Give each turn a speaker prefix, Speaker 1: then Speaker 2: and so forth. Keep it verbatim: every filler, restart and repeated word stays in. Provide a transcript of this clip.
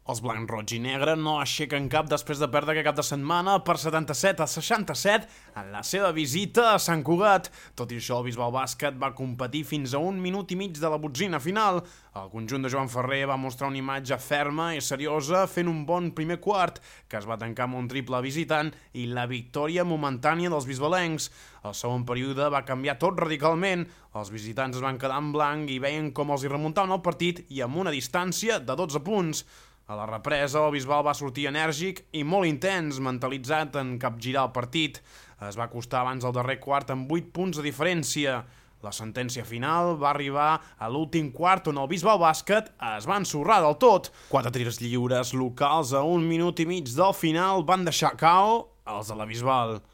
Speaker 1: Els blancs, roig i negre no aixequen cap després de perdre aquest cap de setmana per setanta-set a seixanta-set en la seva visita a Sant Cugat. Tot i això, el Bisbal Bàsquet va competir fins a un minut i mig de la botzina final. El conjunt de Joan Ferrer va mostrar una imatge ferma i seriosa fent un bon primer quart, que es va tancar amb un triple visitant i la victòria momentània dels bisbalencs. El segon període va canviar tot radicalment. Els visitants es van quedar en blanc i veien com els hi remuntaven el partit i amb una distància de dotze punts. A la represa, el Bisbal va sortir enèrgic i molt intens, mentalitzat en capgirar el partit. Es va acostar abans del darrer quart amb vuit punts de diferència. La sentència final va arribar a l'últim quart on el Bisbal Bàsquet es va ensorrar del tot. Quatre tirs lliures locals a un minut i mig del final van deixar K O els de la Bisbal.